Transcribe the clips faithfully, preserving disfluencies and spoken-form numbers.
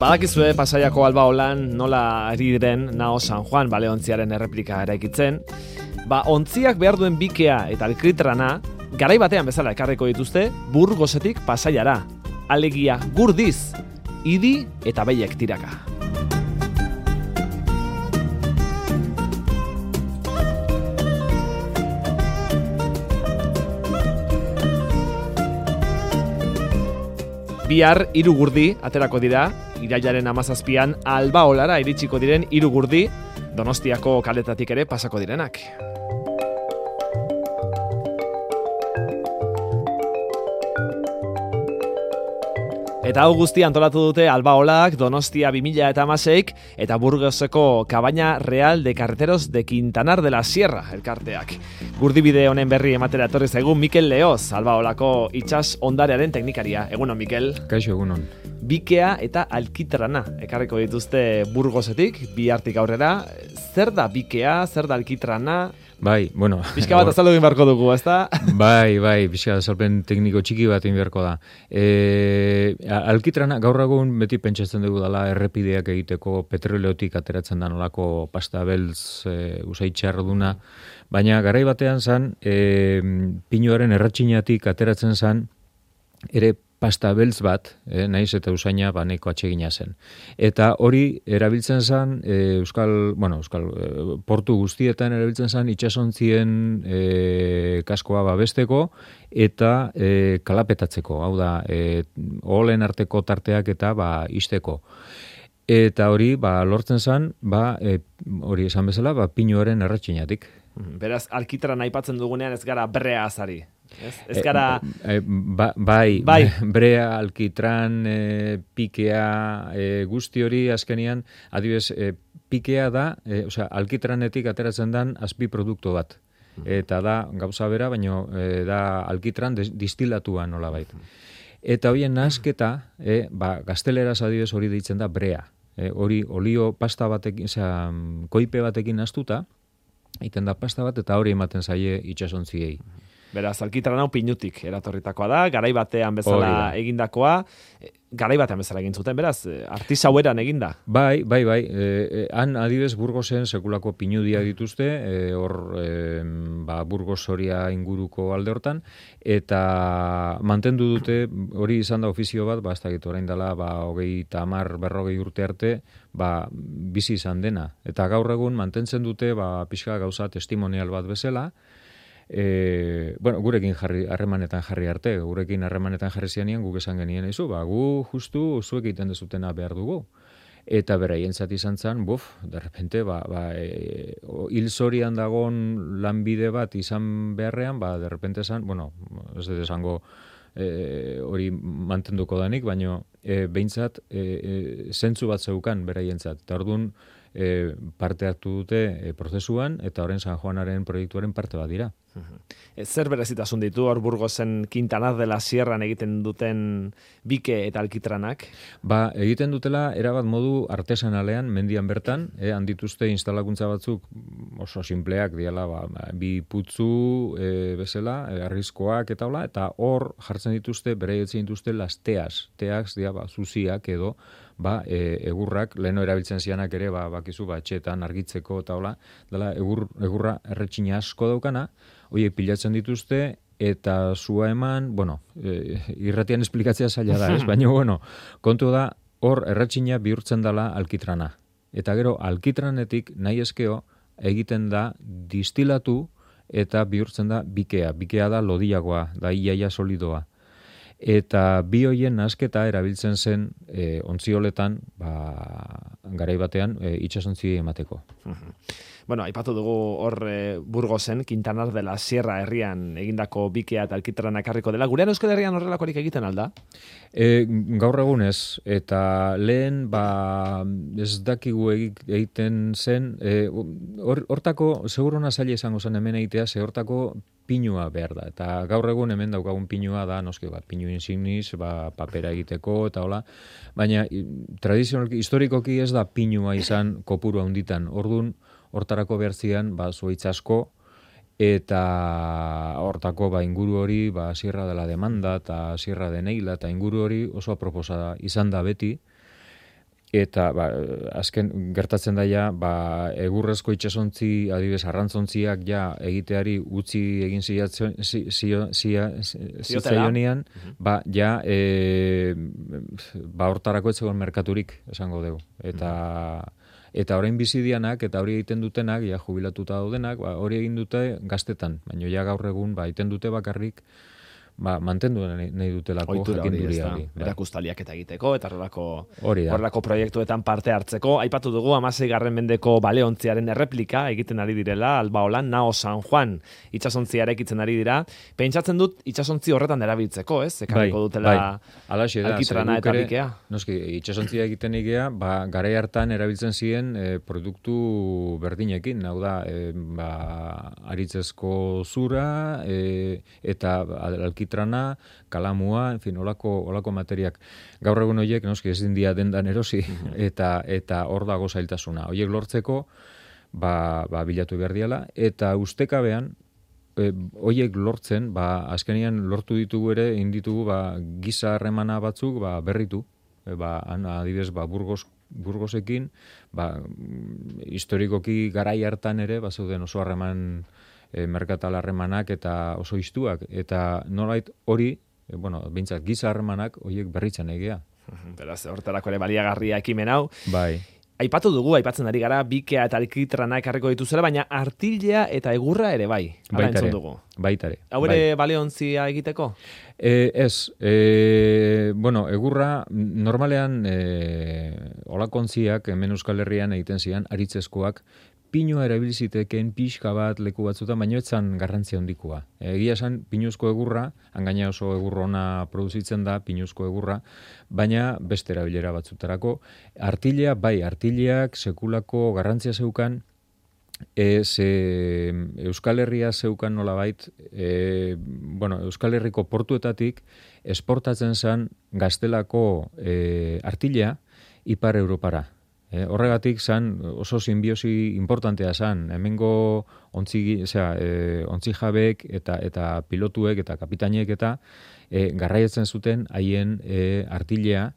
Badakizue Pasaiako Albaolan nola ari diren Nao San Juan baleontziaren erreplika eraikitzen. Ba, ontziak behar duen bikea eta alkitrana, garai batean bezala ekarriko dituzte Burgosetik Pasaiara. Alegia Gurdiz, Idi eta Behiek tiraka. Bihar hiru gurdi aterako dira, irailaren hamazazpian Albaolara iritsiko diren hiru gurdi, Donostiako kaletatik ere pasako direnak. Eta hau guztia antolatu dute Albaolak, Donostia bi mila hamaseik eta Burgoseko Cabaña Real de Carreteros de Quintanar de la Sierra elkarteak. Gurdibide honen berri ematera etorri zaigu Mikel Leoz, Albaolako itsas ondarearen teknikaria. Egunon, Mikel. Kaixo, egunon. Bikea eta alkitrana ekarriko dituzte Burgosetik, bihartik aurrera. Zer da bikea, zer da alkitrana? Bai, bueno... Pixka bat azaldu egin beharko dugu, ezta? Bai, bai, pixka azalpen tekniko txiki bat egin beharko da. E, alkitrana, gaur egun beti pentsatzen dugu dela errepideak egiteko petroleotik ateratzen da nolako pasta beltz e, usaitxar duna, baina garai batean zan, e, pinuaren erratxinatik ateratzen zan, ere pasta beltz bat, eh, naiz eta usaina baneko atsegina zen. Eta hori erabiltzen zen, e, euskal, bueno, euskal e, portu guztietan erabiltzen zen itsasontzien e, kaskoa babesteko eta e, kalapetatzeko, hau da, e, oholen arteko tarteak eta ba ixteko. Eta hori, ba, lortzen zen, ba, e, hori esan bezala, ba, pinuaren erratxinatik. Beraz, alkitrana aipatzen dugunean ez gara brea azari. Ez, ez gara... E, e, ba, bai, bai, brea, alkitran, e, pikea, e, guzti hori azkenian, adibes, e, pikea da, e, osea, alkitranetik ateratzen dan azpi produktu bat. Eta da, gauza bera, baino e, da alkitran distilatua nolabait. Eta horien nahasketa, e, ba, gazteleraz adibes hori deitzen da brea. E, hori olio pasta batekin, osea, koipe batekin astuta, egiten da pasta bat, eta hori ematen zaie itsasontziei. Beraz, alkitrana pinutik eratorritakoa da, garai batean bezala egindakoa, garai batean bezala egin zuten, beraz, artisaueran eginda. Bai, bai, bai, e, han adibes Burgosen sekulako pinudia dituzte, e, hor e, ba, Burgos Soria inguruko alde hortan, eta mantendu dute, hori izan da ofizio bat, ba, ez dakit orain dela, ba, hogei eta hamar, berrogei urte arte, ba, bizi izan dena. Eta gaur egun mantentzen dute, ba, pixka gauza testimonial bat bezala, E, bueno, gurekin jarri, harremanetan jarri arte, gurekin harremanetan jarri zianean guk esan genien izu, ba, gu justu zuek egiten dezutena behar dugu. Eta beraien zati izan zen, buf, derrepente, ba, ba, e, hil zorian dagon lanbide bat izan beharrean, ba, derrepente zan, bueno, ez dut esango e, hori mantenduko danik, baina e, behintzat e, e, zentzu bat zeukan beraien zat. Eta orduan e, parte hartu dute e, prozesuan, eta horren San Juanaren proiektuaren parte bat dira. Zer berezitasun ditu hor Burgosen Quintanar de la Sierran egiten duten bike eta alkitranak? Ba, egiten dutela erabat modu artesanalean, mendian bertan, eh, handituzte instalakuntza batzuk oso simpleak diala, ba, bi putzu e, bezala, e, arrizkoak eta hola, eta hor jartzen dituzte, bere etzen dituzte las teas, teaks dia, ba, zuziak edo, ba, e, egurrak, leheno erabiltzen zianak ere, ba, bakizu, ba, etxeetan argitzeko eta hola, dela egur, egurra erretxina asko daukana, horiek pilatzen dituzte, eta zua eman, bueno, e, irratian esplikatzea zaila da, ez? Baina, bueno, kontu da, hor erretxina bihurtzen dela alkitrana. Eta gero, alkitranetik nahi eskeo egiten da distilatu eta bihurtzen da bikea. Bikea da lodiagoa, da iaia solidoa. Eta bi hoien nahasketa erabiltzen zen e, ontzioletan, ba, garai batean, e, itsasontzi emateko. Bueno, aipatu dugu hor e, Burgosen, Quintanar de la Sierra herrian egindako bikea eta alkitrana ekarriko dela. Gurean Euskal Herrian horrelakorik egiten alda? E, gaur egunez, eta lehen, ba, ez dakigu egiten zen, e, or, hortako, seguruna zaila izango zen hemen egitea, ze hortako pinua behar da. Eta gaur egun hemen daukagun pinua da, noski, ba, pinu insignis, ba, papera egiteko, eta hola. Baina, tradizionalki, historikoki ez da pinua izan kopuru handitan. Orduan, hortarako behartzian, ba, zuaitz asko, eta hortako ba, inguru hori, ba, Sierra de la Demanda, eta Sierra de Neila, eta inguru hori oso aproposa izan da beti. eta ba, azken gertatzen daia ba, egurrezko itsasontzi adibidez arrantzontziak ja egiteari utzi egin ziatzen zitzaionean ba ja e, ba hortarako ez zegoen merkaturik esango dugu eta eta orain bizidianak eta hori egiten dutenak ja jubilatuta daudenak ba hori egin dute gaztetan baina ja gaur egun ba egiten dute bakarrik ba, mantendu nahi dutelako jakinduria hori. Erakustaliak eta egiteko, eta horrelako, horrelako proiektuetan parte hartzeko. Aipatu dugu, hamaseigarren mendeko baleontziaren erreplika egiten ari direla, Albaolan, Nao San Juan itsasontziak erekitzen ari dira. Pentsatzen dut itsasontzi horretan erabiltzeko, ez? Ekarriko dutela alkitrana eta bikea. Noski, itsasontziak egiten igea, ba, garai hartan erabiltzen ziren e, produktu berdinekin, hau da, e, ba, aritzezko zura, e, eta alkitrana, kalamua, en fin, olako, olako materiak. Gaur egun horiek, noski, ezin dia dendan erosi, eta eta hor dago zailtasuna. Horiek lortzeko, ba, ba bilatu behar diala, eta ustekabean, e, horiek lortzen, ba, azkenian lortu ditugu ere, inditugu, ba, giza harremana batzuk, ba, berritu, e, ba, adibidez, ba, Burgos, Burgosekin, ba, historikoki garai hartan ere, ba, zeuden oso harreman E, merkatal harremanak eta oso istuak eta nolait hori, e, bueno, behintzat giza harremanak horiek berritzen egea. Beraz, hortarako ere baliagarria ekimen hau. Bai. Aipatu dugu, aipatzen ari gara, bikea eta alkitrana ekarriko dituzela, baina artilea eta egurra ere bai. Baitare, dugu. baitare. Hau ere bai. Baleontzia egiteko? E, ez, e, bueno, egurra normalean e, olakontziak hemen Euskal Herrian egiten zian, aritzezkoak, pinua erabiliziteken pixka bat leku batzutan, baino etzan garrantzia handikoa. Egia esan, pinuzko egurra, hangaina oso egurrona produzitzen da, pinuzko egurra, baina beste erabilera batzutarako. Artilea, bai, artileak sekulako garrantzia zeukan, e, ze Euskal Herria zeukan nolabait, e, bueno, Euskal Herriko portuetatik esportatzen zen gaztelako e, artilea Ipar Europara. E, horregatik zan oso simbiosi importantea zan. Hemengo ontzi, osea, e, ontzi jabek eta, eta pilotuek eta kapitainek eta e, garraietzen zuten haien e, artilea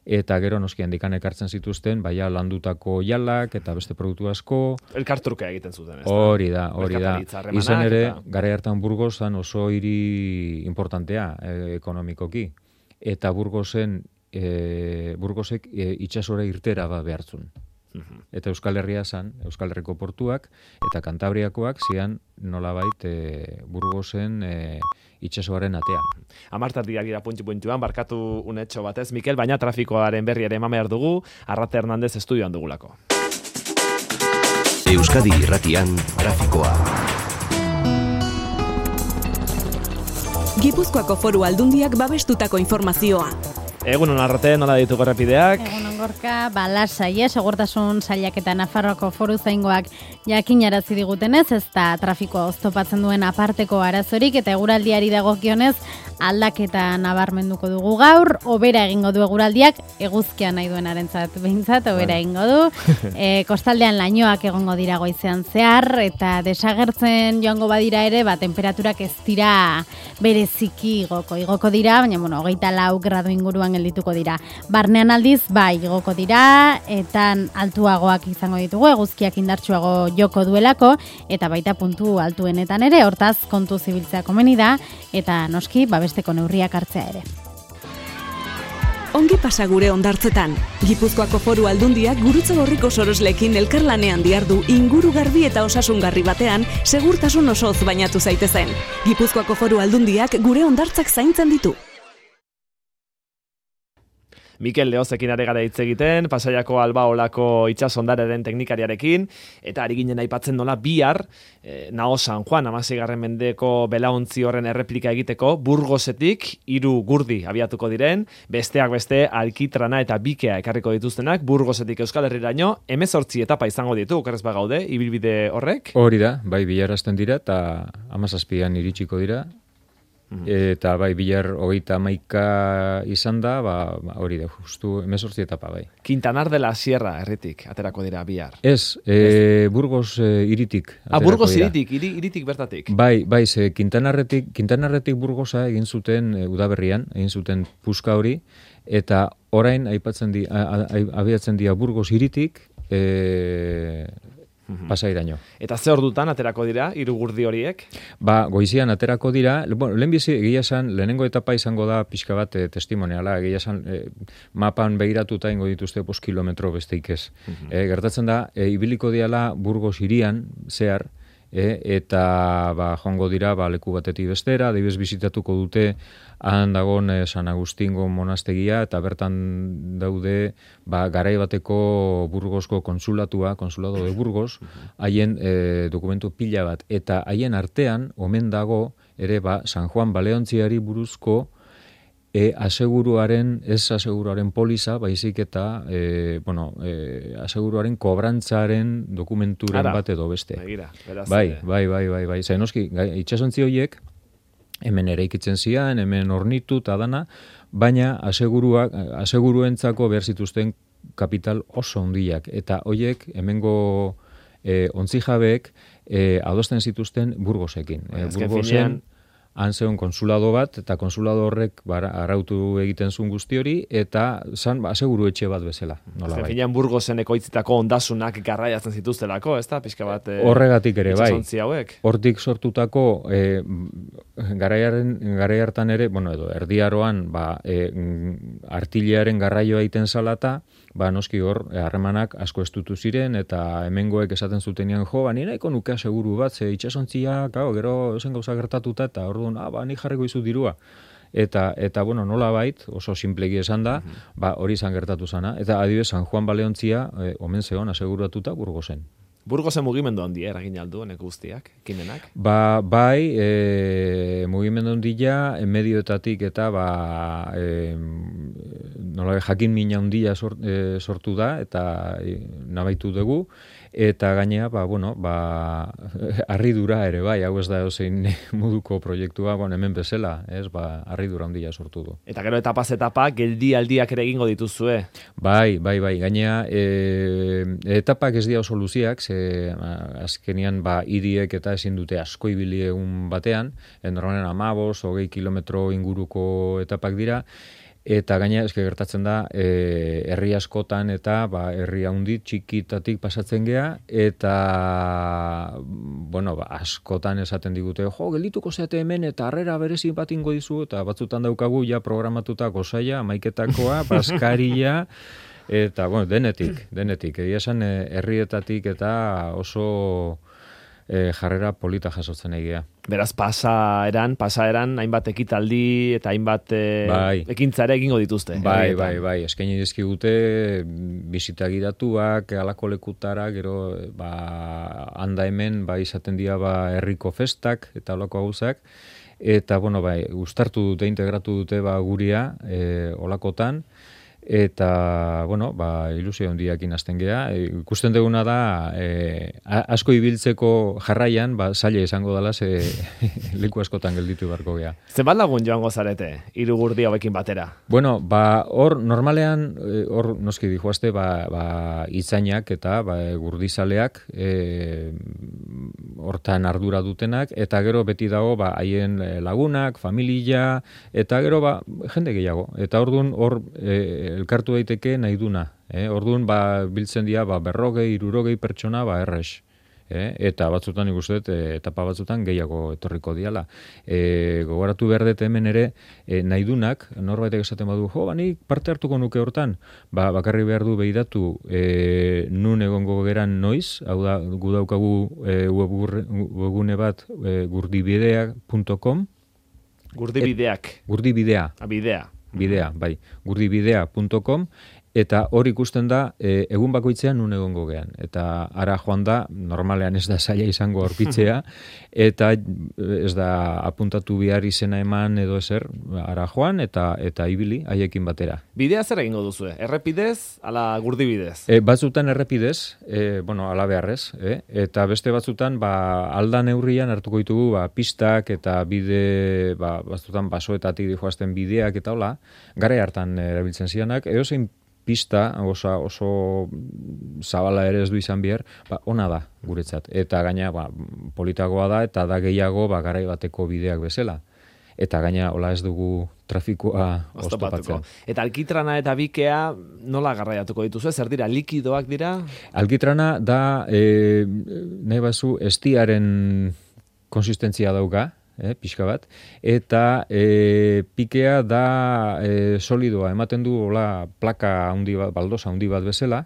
eta gero noski handikan ekartzen zituzten baia landutako jalak eta beste produktu asko. Elkartruka egiten zuten, ez da? Hori da, hori da. Izan ere, eta... garai hartan Burgos zan oso hiri importantea e, ekonomikoki. Eta Burgosen E, Burgosek e, itsasora irtera ba behartzun. Uh-huh. Eta Euskal Herria zan, Euskal Herriko portuak, eta Kantabriakoak zian nolabait e, Burgosen e, itsasoaren atea. Amartatik gira puntxu-puntxuan, barkatu unetxo batez, Mikel, baina trafikoaren berri ere eman behar dugu, Arrate Hernandez estudioan dugulako. Euskadi Irratian, trafikoa. Gipuzkoako Foru Aldundiak babestutako informazioa. Egun hon Arrate, nola dituko errepideak? Egun hon Gorka, balasai, eh? Segurtasun sailak eta Nafarroako foru zaingoak jakinarazi digutenez, ez da trafikoa oztopatzen duen aparteko arazorik eta eguraldiari dagokionez aldaketa nabarmenduko dugu gaur, hobera egingo du eguraldiak, eguzkia nahi duenarentzat behintzat, hobera egingo du. E, kostaldean lainoak egongo dira goizean zehar, eta desagertzen joango badira ere, ba, temperaturak ez dira bereziki igoko. Igoko dira, baina, bueno, hogeita lau gradu inguruan geldituko dira. Barnean aldiz, bai, igoko dira, eta altuagoak izango ditugu, eguzkiak indartsuago joko duelako, eta baita puntu altuenetan ere, hortaz kontu zibiltzea komeni da, eta noski, babesteko neurriak hartzea ere. Ongi pasa gure hondartzetan. Gipuzkoako Foru Aldundiak Gurutze Gorriko sorosleekin elkarlanean dihardu inguru garbi eta osasungarri batean segurtasun osoz bainatu zaitezen. Gipuzkoako Foru Aldundiak gure hondartzak zaintzen ditu. Mikel Leozekin are gara hitz egiten, Pasaiako Albaolako itsasondararen teknikariarekin, eta ari ginen aipatzen nola bihar, eh, Nao San Juan, hamaseigarren mendeko belaontzi horren erreplika egiteko, Burgosetik hiru gurdi abiatuko diren, besteak beste alkitrana eta bikea ekarriko dituztenak, Burgosetik Euskal Herriraino, hemezortzi etapa izango ditu, okerrez bagaude, ibilbide horrek? Hori da, bai bihar hasten dira, eta hamazazpian iritsiko dira, eta bai, bilar hogeita hamaika izan da, ba, hori da, justu hemezortzi etapa bai. Quintanar de la Sierra herritik, aterako dira bihar. Ez, e, Burgos e, iritik. Ah, Burgos iritik, iri, iritik bertatik. Bai, bai, ze Quintanarretik, Quintanarretik Burgosa egin zuten e, udaberrian, egin zuten puska hori, eta orain aipatzen di, a, a, abiatzen dira Burgos hiritik e, Pasairaino. Eta ze ordutan aterako dira hiru gurdi horiek? Ba, goizian aterako dira, bueno, lehenbizi egia esan, lehenengo etapa izango da pixka bat e, testimoniala, egia esan e, mapan begiratuta ingo dituzte bost kilometro besteik ez. Uh-huh. E, gertatzen da, e, ibiliko diala Burgos hirian zehar, e, eta ba, joango dira ba, leku batetik bestera, adibidez bizitatuko dute han dagon eh, San Agustingo monastegia, eta bertan daude ba, garai bateko Burgosko konsulatua, konsulado de Burgos, haien eh, dokumentu pila bat, eta haien artean omen dago ere ba, San Juan Baleontziari buruzko e, aseguruaren, ez aseguruaren poliza, baizik eta e, bueno, e, aseguruaren kobrantzaren dokumenturen Ara, bat edo beste. Begira, beraz, bai, bai, bai, bai, bai. Zain noski, itxasontzi horiek, hemen ere ikitzen zian, hemen ornitu eta dana, baina aseguruak, aseguruentzako behar zituzten kapital oso handiak. Eta horiek hemengo e, ontzijabeek e, adosten zituzten Burgosekin. E, Burgosen han zeon konsulado bat, eta konsulado horrek bara, arautu egiten zuen guzti hori, eta zan ba, aseguru etxe bat bezala. Nola bai. Finean Burgosen ekoitzitako ondasunak garraiatzen zituztelako, ez da? Pixka bat... E, horregatik ere, bai. Hauek. Hortik sortutako e, garaiaren, garai hartan ere, bueno, edo, erdiaroan, ba, e, artillearen garraioa egiten salata, ba, noski hor, harremanak asko estutu ziren, eta hemengoek esaten zutenean, jo, ba, nire eko nuke aseguru bat, ze itxasontzia, gau, gero zen gauza gertatuta, eta orduan, ah, ba, nik jarriko izu dirua. Eta, eta bueno, nola bait, oso simplegi esan da, uh-huh. ba, hori izan gertatu zana. Eta adibidez, San Juan Baleontzia, eh, omen zeon, aseguratuta Burgosen. Burgosen mugimendu handia eragin aldu honek guztiak, ekimenak? Ba, bai, e, mugimendu handia, medioetatik eta ba, e, nola jakin mina handia sort, e, sortu da, eta e, nabaitu dugu, eta gainea, ba, bueno, ba, harridura ere, bai, hau ez da zein moduko proiektua, bon, hemen bezala, ez, ba, harridura handia sortu du. Eta gero etapaz etapa, geldi aldiak ere egingo dituzue? Bai, bai, bai, gainea, e, etapak ez dira oso luziak, ze azkenian, ba, hiriek eta ezin dute asko ibili egun batean, normalen amabos, hogei kilometro inguruko etapak dira, eta gaina eske gertatzen da e, herri askotan eta ba, herri handi txikitatik pasatzen gea, eta bueno, ba, askotan esaten digute, jo, geldituko zeate hemen eta harrera berezi bat ingo dizu, eta batzutan daukagu ja programatuta gozaia, amaiketakoa, baskaria, eta bueno, denetik, denetik. Egia esan herrietatik eta oso E, jarrera polita jasotzen egia. Beraz, pasaeran, pasaeran, hainbat ekitaldi eta hainbat e, bai. ekintzare egingo dituzte. Bai, bai, bai, eskaini dizkigute bisita gidatuak, alako lekutara, gero, ba, handa hemen, ba, izaten dira, ba, herriko festak eta olako gauzak, eta, bueno, bai, uztartu dute, integratu dute, ba, guria, e, olakotan, eta, bueno, ba, ilusio handiakin hasten gea. E, ikusten duguna da, e, asko ibiltzeko jarraian, ba, zaila izango dela, ze leku askotan gelditu beharko gea. Zenbat lagun joango zarete, hiru gurdi hauekin batera? Bueno, ba, hor, normalean, hor, noski dijoazte, ba, ba, itzainak eta ba, gurdizaleak, e, hortan ardura dutenak, eta gero beti dago, ba, haien lagunak, familia, eta gero, ba, jende gehiago. Eta orduan, hor, e, elkartu daiteke nahi duna. Eh? Orduan, ba, biltzen dira, ba, berrogei, irurogei pertsona, ba, errex. Eh? Eta batzutan ikusten, e, etapa batzutan gehiago etorriko diala. E, gogoratu behar dut hemen ere, e, nahi dunak, norbaitek esaten badu, jo, ba, nik parte hartuko nuke hortan, ba, bakarri behar du behiratu e, nun egongo geran noiz, hau da, gu daukagu e, webgune bat, e, gurdibidea punto com. Gurdibideak. Gurdibidea. A, bidea. Bidea, bai, gurdibidea punto com, eta hor ikusten da e, egun bakoitzean nun egongo gean. Eta ara joan da, normalean ez da zaila izango aurkitzea, eta ez da apuntatu behar izena eman edo ezer, ara joan eta eta ibili haiekin batera. Bidea zer egingo duzue? Errepidez, ala gurdibidez? E, batzutan errepidez, e, bueno, ala beharrez, e? Eta beste batzutan, ba, alda neurrian hartuko ditugu, ba, pistak eta bide, ba, batzutan basoetatik dijoazten bideak eta hola, gara hartan erabiltzen zianak, edo zein pista, oso, oso zabala ere ez du izan behar, ba, ona da guretzat. Eta gaina, ba, politagoa da, eta da gehiago, ba, garai bateko bideak bezala. eta gaina hola ez dugu trafikoa oztopatzen. Eta alkitrana eta bikea nola garraiatuko dituzu? Zer dira, likidoak dira? Alkitrana da, e, nahi bazu, estiaren konsistentzia dauka, eh, pixka bat, eta e, pikea da e, solidoa, ematen du hola plaka handi bat, baldosa handi bat bezala,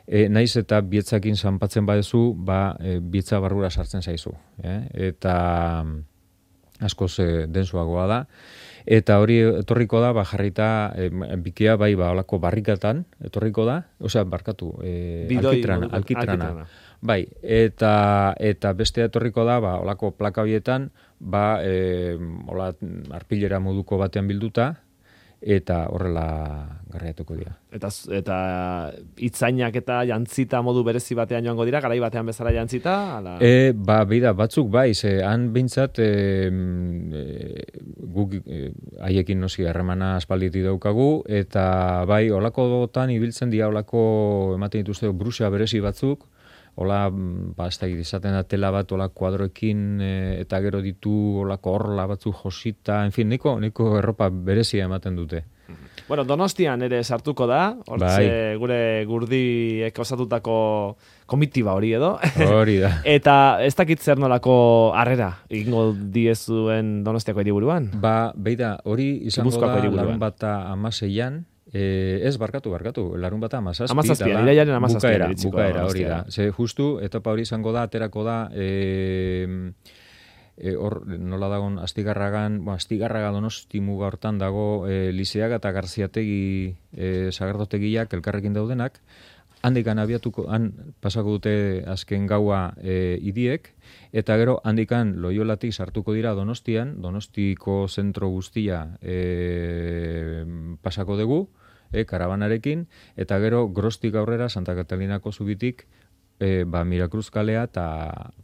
e, naiz eta bietzakin zanpatzen badezu, ba, e, bietza barrura sartzen zaizu. Eh? Eta askoz e, densuagoa da. Eta hori etorriko da, ba, jarrita, e, bikea bai, ba, olako barrikatan etorriko da, osea, barkatu, e, Bidoi, alkitrana, alkitrana. alkitrana. Bai, eta, eta beste etorriko da, ba, olako plaka horietan, ba, e, ola, arpilera moduko batean bilduta, eta horrela garraiatuko dira. Eta, eta itzainak eta jantzita modu berezi batean joango dira, garai batean bezala jantzita? Ala... E, ba, beida, batzuk bai, ze han behintzat e, e, guk e, haiekin noski harremana aspalditik daukagu, eta bai, olakotan ibiltzen dira olako ematen dituzte brusea berezi batzuk, hola, ba, ez da, izaten da tela bat, hola, kuadroekin, e, eta gero ditu, olako horla batzuk josita, en fin, niko, niko erropa berezia ematen dute. Bueno, Donostian ere sartuko da, hortze bai. Gure gurdiek osatutako komitiba hori edo. Hori da. Eta ez dakit zer nolako harrera egingo diezuen Donostiako hiriburuan? Ba, beida, hori izango Gipuzkoako da hiriburuan. larun bata amaseian, E, ez, barkatu, barkatu, larun bata amazazpi. Amazazpian, irailaren amazazpian. Bukaera, bukaera, hori da. Ze justu, etapa hori izango da, aterako da, e, e, hor, nola dagon, Astigarragan, bueno, Astigarraga Donosti muga hortan dago, e, Lizeaga eta Garziategi e, sagardotegiak elkarrekin daudenak, handikan abiatuko, han pasako dute azken gaua e, idiek, eta gero handikan Loiolatik sartuko dira Donostian, Donostiko zentro guztia e, pasako dugu, e, karabanarekin, eta gero Grostik aurrera Santa Catalinako zubitik e, ba, Mirakruz kalea eta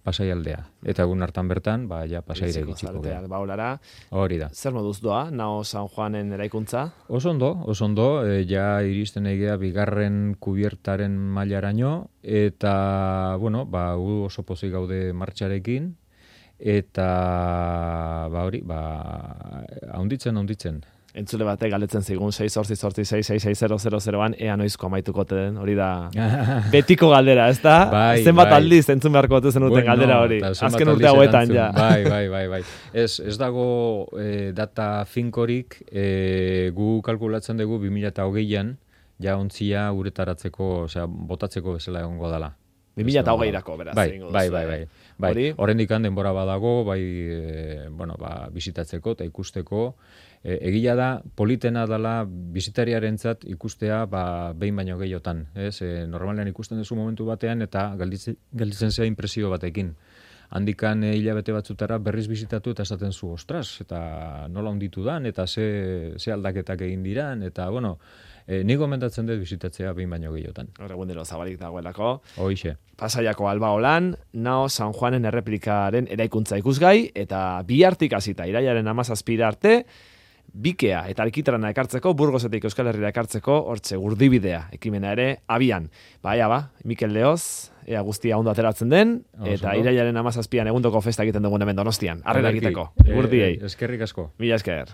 Pasaialdea. Eta egun hartan bertan, ba, ja Pasaira iritsiko da. Baulara. Hori da. Zer moduz doa, Nao San Juanen eraikuntza? Oso ondo, oso ondo, e, ja iristen egea bigarren kubiertaren mailaraino, eta, bueno, ba, gu oso pozik gaude martxarekin, eta, ba, hori, ba, haunditzen, haunditzen. Entzule batek galdetzen zigun sei zortzi zortzi sei sei sei zero zero zeroan ea noizko amaituko den, hori da betiko galdera, ez da? Bai, zenbat bai. aldiz entzun beharko dute zenuten Bueno, galdera hori. eta Azken zenbat urte aldiz hauetan erantzun. ja. Bai, bai, bai, bai. Ez, ez dago e, data finkorik, e, gu kalkulatzen dugu bi mila hogeian, ja ontzia uretaratzeko, osea, botatzeko bezala egongo dela. bi mila hogeirako, beraz. Bai, egingo bai, duzue. bai, bai. Bai, Hori? horrendik denbora badago, bai, e, bueno, ba, bisitatzeko eta ikusteko. E, egia da, politena dela bisitariarentzat ikustea ba, behin baino gehiotan. Ez? E, normalean ikusten duzu momentu batean eta gelditzen, gelditzen zea impresio batekin. Handikan e, hilabete batzutara berriz bisitatu eta esaten zu, ostras, eta nola onditu dan, eta ze, ze aldaketak egin diran, eta, bueno, e, nik gomendatzen dut bisitatzea behin baino gehiotan. Hor egun dilo zabalik dagoelako. Hoixe. Pasaiako Albaolan, Nao San Juanen erreplikaren eraikuntza ikusgai, eta bihartik hasita irailaren hamazazpira arte, bikea eta alkitrana ekartzeko, Burgosetik Euskal Herrira ekartzeko, hortxe gurdibidea ekimena ere abian. Baia ba, Mikel Leoz, ea guztia ondo ateratzen den, eta Oso, irailaren hamazazpian egundoko festa egiten dugun hemen Donostian. Arrera egiteko, Ederki. gurdiei. E, eskerrik asko. Mila esker.